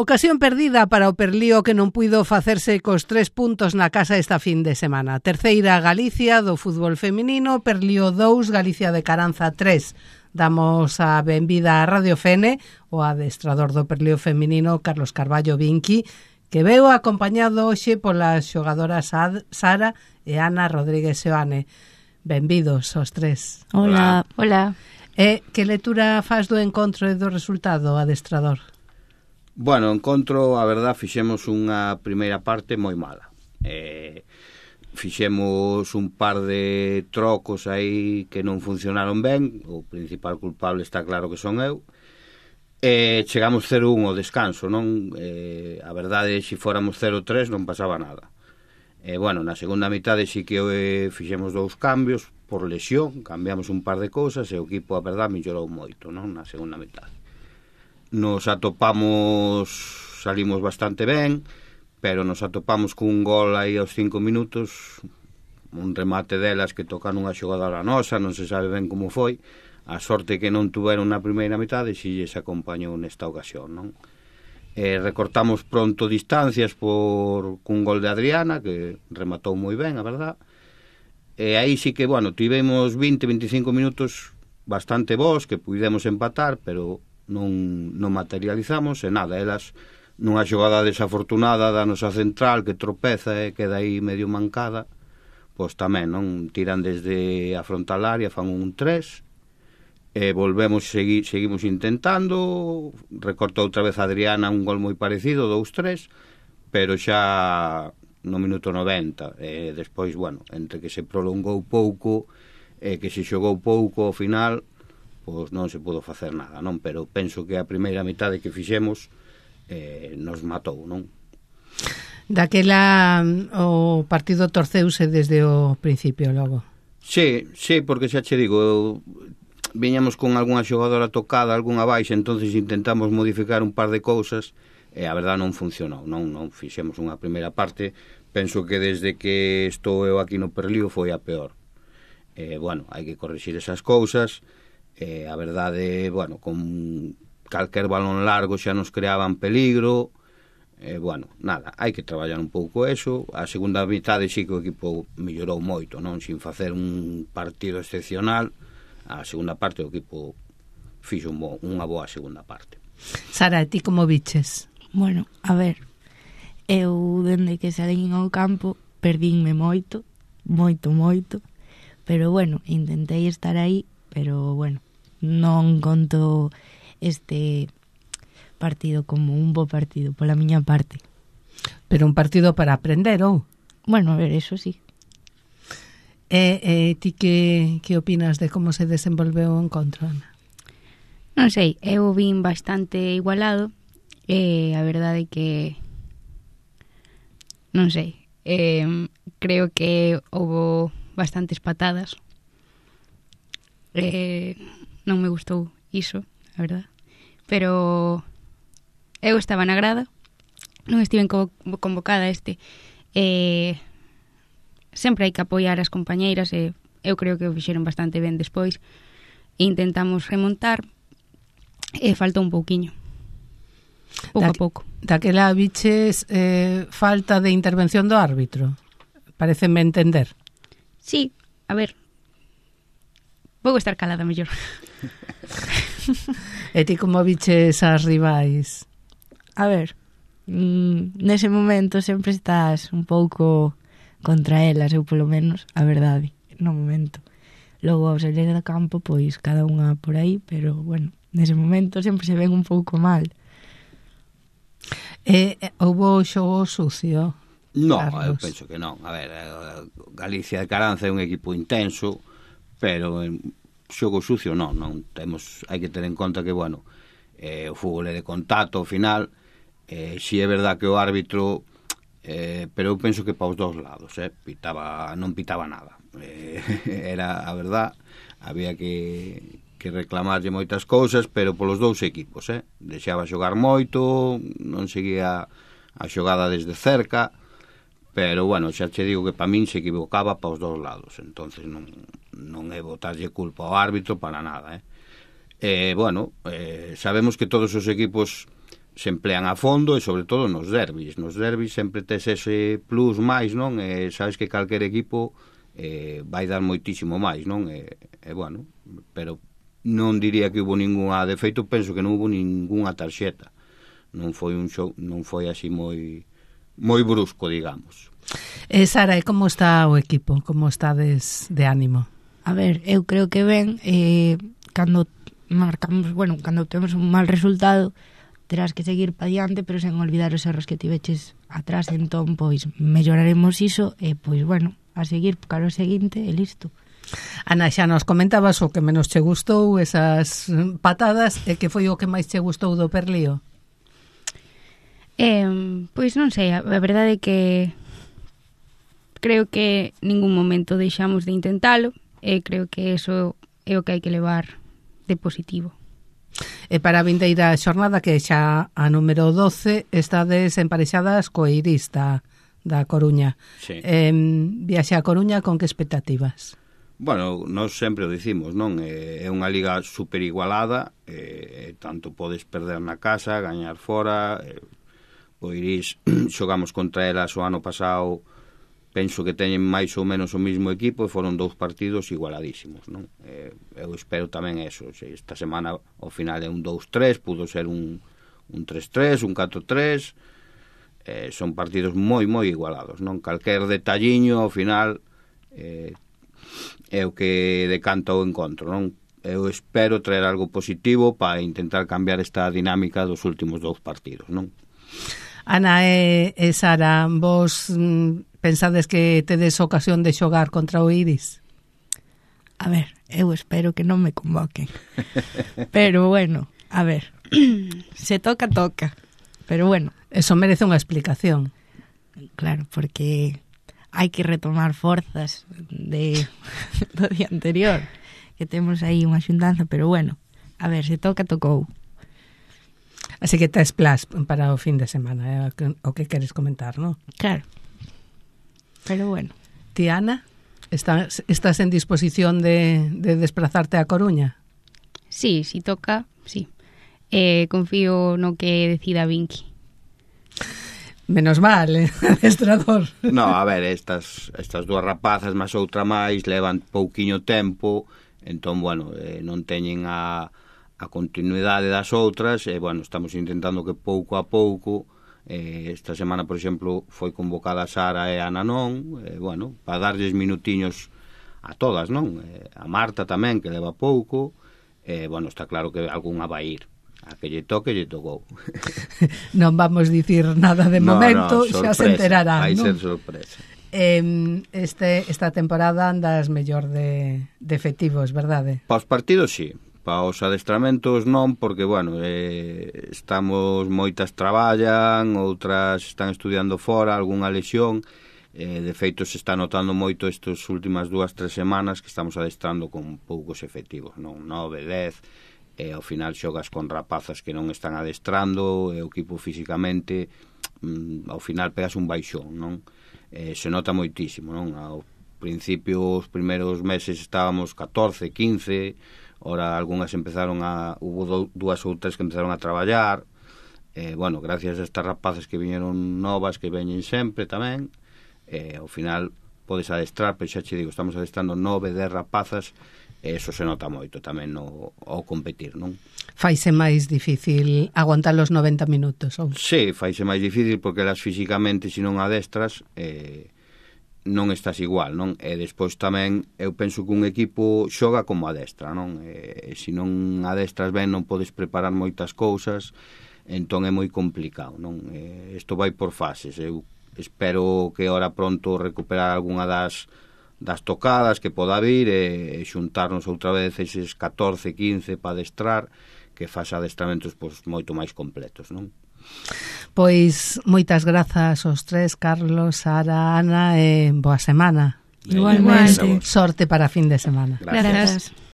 Ocasión perdida para o Perlío que non puido facerse cos 3 puntos na casa esta fin de semana. Terceira Galicia do fútbol feminino, Perlío 2, Galicia de Caranza 3. Damos a benvida a Radio Fene, o adestrador do Perlío feminino, Carlos Carballo Vinqui, que veu acompañado hoxe polas xogadoras Sara e Ana Rodríguez Seoane. Benvidos aos tres. Hola. Hola. Que lectura faz do encontro e do resultado, adestrador? Bueno, encontro, a verdad, fixemos unha primeira parte moi mala. Fixemos un par de trocos aí que non funcionaron ben. O principal culpable está claro que son eu. Chegamos 0-1 ao descanso, non? A verdade, se fóramos 0-3 non pasaba nada. Bueno, na segunda mitade sí que fixemos 2 cambios por lesión, cambiamos un par de cousas e o equipo, a verdade, mellorou moito, non? Na segunda mitade. Nos atopamos, salimos bastante ben, pero nos atopamos cun gol aí aos 5 minutos, un remate delas que tocan unha xogadora nosa, non se sabe ben como foi, a sorte que non tuveron na primeira mitade si lles acompañou nesta ocasión, non? Recortamos pronto distancias cun gol de Adriana, que rematou moi ben, a verdad, e aí sí que, bueno, tivemos 20-25 minutos bastante bons, que pudemos empatar, pero non materializamos, e nada, elas nunha xogada desafortunada da nosa central que tropeza e queda aí medio mancada, pois tamén non tiran desde a frontal área, fan un 3 e volvemos, seguimos intentando, recorta outra vez a Adriana un gol moi parecido, 2-3, pero xa no minuto 90, e despois, bueno, entre que se prolongou pouco e que se xogou pouco ao final, pois non se pudo facer nada, non? Pero penso que a primeira mitade que fixemos nos matou, non? Daquela o partido torceuse desde o principio logo. Sí, porque xa che digo, viñamos con algunha xogadora tocada, algunha baixa, entonces intentamos modificar un par de cousas e a verdade non funcionou, non fixemos unha primeira parte, penso que desde que estou eu aquí no Perlío foi a peor. Bueno, hai que corrixir esas cousas. A verdade, bueno, con calquer balón largo xa nos creaban peligro. Bueno, nada, hai que traballar un pouco eso. A segunda mitade sí que o equipo mellorou moito, non? Sin facer un partido excepcional, a segunda parte o equipo fixo unha boa segunda parte. Sara, ti como viches? Bueno, a ver, eu dende que salín ao campo perdínme moito, pero bueno, intentei estar aí, pero bueno, non conto este partido como un bo partido pola miña parte. Pero un partido para aprender, ou? Bueno, a ver, eso sí. Ti que opinas de como se desenvolveu o encontro, Ana? Non sei, eu vin bastante igualado, a verdade é que non sei, creo que houbo bastantes patadas, non me gustou iso, a verdade, pero eu estaba na grada, non estiven convocada sempre hai que apoiar as compañeiras e eu creo que o fixeron bastante ben despois e intentamos remontar e faltou un pouquiño, pouco a pouco. Daquela viches falta de intervención do árbitro, pareceme entender. Sí, a ver, vou estar calada mellor. E ti como viches as rivais? A ver, nese momento sempre estás un pouco contra elas, eu polo menos, a verdade, no momento. Logo ao salir do campo, pois cada unha por aí, pero bueno, nese momento sempre se ven un pouco mal. Houbo xogo sucio? Non, Carlos? eu penso que non. A ver, Galicia de Caranza é un equipo intenso, pero xogo sucio non temos, hai que ter en conta que, bueno, o fútbol é de contacto ao final, si é verdad que o árbitro, pero eu penso que para os dous lados, non pitaba nada, era a verdad, había que reclamarlle moitas cousas, pero polos dous equipos, deixaba xogar moito, non seguía a xogada desde cerca, pero bueno, xa che digo que para min se equivocaba para os dous lados, entonces non é botarlle culpa ao árbitro para nada, Bueno, sabemos que todos os equipos se emplean a fondo e sobre todo nos derbis. Nos derbis sempre tes ese plus máis, non? E sabes que calquer equipo vai dar moitísimo máis, non? Bueno, pero non diría que hubo ninguna, de feito penso que non hubo ninguna tarxeta. Non foi un show, non foi así moi brusco, digamos. Sara, e como está o equipo? Como estades de ánimo? A ver, eu creo que ben, cando marcamos, bueno, cando temos un mal resultado, terás que seguir pa diante, pero sen olvidar os erros que tiveches atrás, entón, pois, melloraremos iso, e, pois, bueno, a seguir cara ao seguinte, e listo. Ana, xa nos comentabas o que menos che gustou, esas patadas, e que foi o que máis che gustou do Perlío? Pois non sei, a verdade é que creo que ningún momento deixamos de intentalo, e creo que eso é o que hai que levar de positivo. E para a vindeira xornada, que xa a número 12, estades emparexadas co Eirís da Coruña. Sí. Viaxe a Coruña con que expectativas? Bueno, nós sempre o dicimos, non? É unha liga super igualada, tanto podes perder na casa, gañar fora. O Eirís xogamos contra elas o ano pasado, penso que teñen máis ou menos o mismo equipo e foron 2 partidos igualadísimos, non? Eu espero tamén eso. Esta semana ao final é un 2-3, pudo ser un 3-3, un 4-3. Son partidos moi igualados, non? Calquer detalliño ao final é o que decanta o encontro, non? Eu espero traer algo positivo para intentar cambiar esta dinámica dos últimos 2 partidos, non? Ana e Sara, vos pensades que tedes ocasión de xogar contra o Eirís? A ver, eu espero que non me convoquen. Pero bueno, a ver, se toca. Pero bueno. Eso merece unha explicación. Claro, porque hai que retomar forzas do día anterior, que temos aí unha xuntanza, pero bueno, a ver, se toca, tocou. Así que tes plas para o fin de semana, o que queres comentar, non? Claro. Pero bueno. Ti, Ana, estás en disposición de desplazarte a Coruña? Sí, si toca, sí. Confío no que decida Vinky. Menos mal, adestrador. No, a ver, estas 2 rapazas máis outra máis levan pouquiño tempo, entón, bueno, non teñen a continuidade das outras, e, bueno, estamos intentando que pouco a pouco, esta semana, por exemplo, foi convocada a Sara e a Ana non, bueno, para darlles minutiños a todas, non? A Marta tamén, que leva pouco, bueno, está claro que algunha vai ir. A que lle toque, lle tocou. Non vamos dicir nada de momento, xa se enterarán, vai non? ser sorpresa. Esta temporada andas mellor de efectivos, verdade? Para os partidos, sí. Para os adestramentos non, porque, bueno, estamos, moitas traballan, outras están estudiando fora, algunha lesión. De feito, se está notando moito estas últimas 2-3 semanas que estamos adestrando con poucos efectivos, non? 9, 10... ao final xogas con rapazas que non están adestrando, e o equipo físicamente ao final pegas un baixón, non? Se nota moitísimo, non? Ao principio, os primeiros meses estábamos 14, 15, ora algunhas empezaron hubo 2 ou 3 que empezaron a traballar, bueno, gracias a estas rapazas que viñeron novas, que veñen sempre tamén, ao final podes adestrar, pero xa che digo, estamos adestrando 9, 10 rapazas, e eso se nota moito tamén ao competir, non? Faise máis difícil aguantar os 90 minutos, ou? Sí, faise máis difícil porque elas físicamente, se non adestras, non estás igual, non? E despois tamén, eu penso que un equipo xoga como adestra, non? Se non adestras ben, non podes preparar moitas cousas, entón é moi complicado, non? Isto vai por fases. Eu espero que ora pronto recuperar algunha das tocadas que poda vir e xuntarnos outra vez eses 14, 15 para adestrar, que faz adestramentos pois moito máis completos, non? Pois moitas grazas aos 3, Carlos, Sara, Ana, e boa semana. Igualmente. Sorte para fin de semana. Gracias.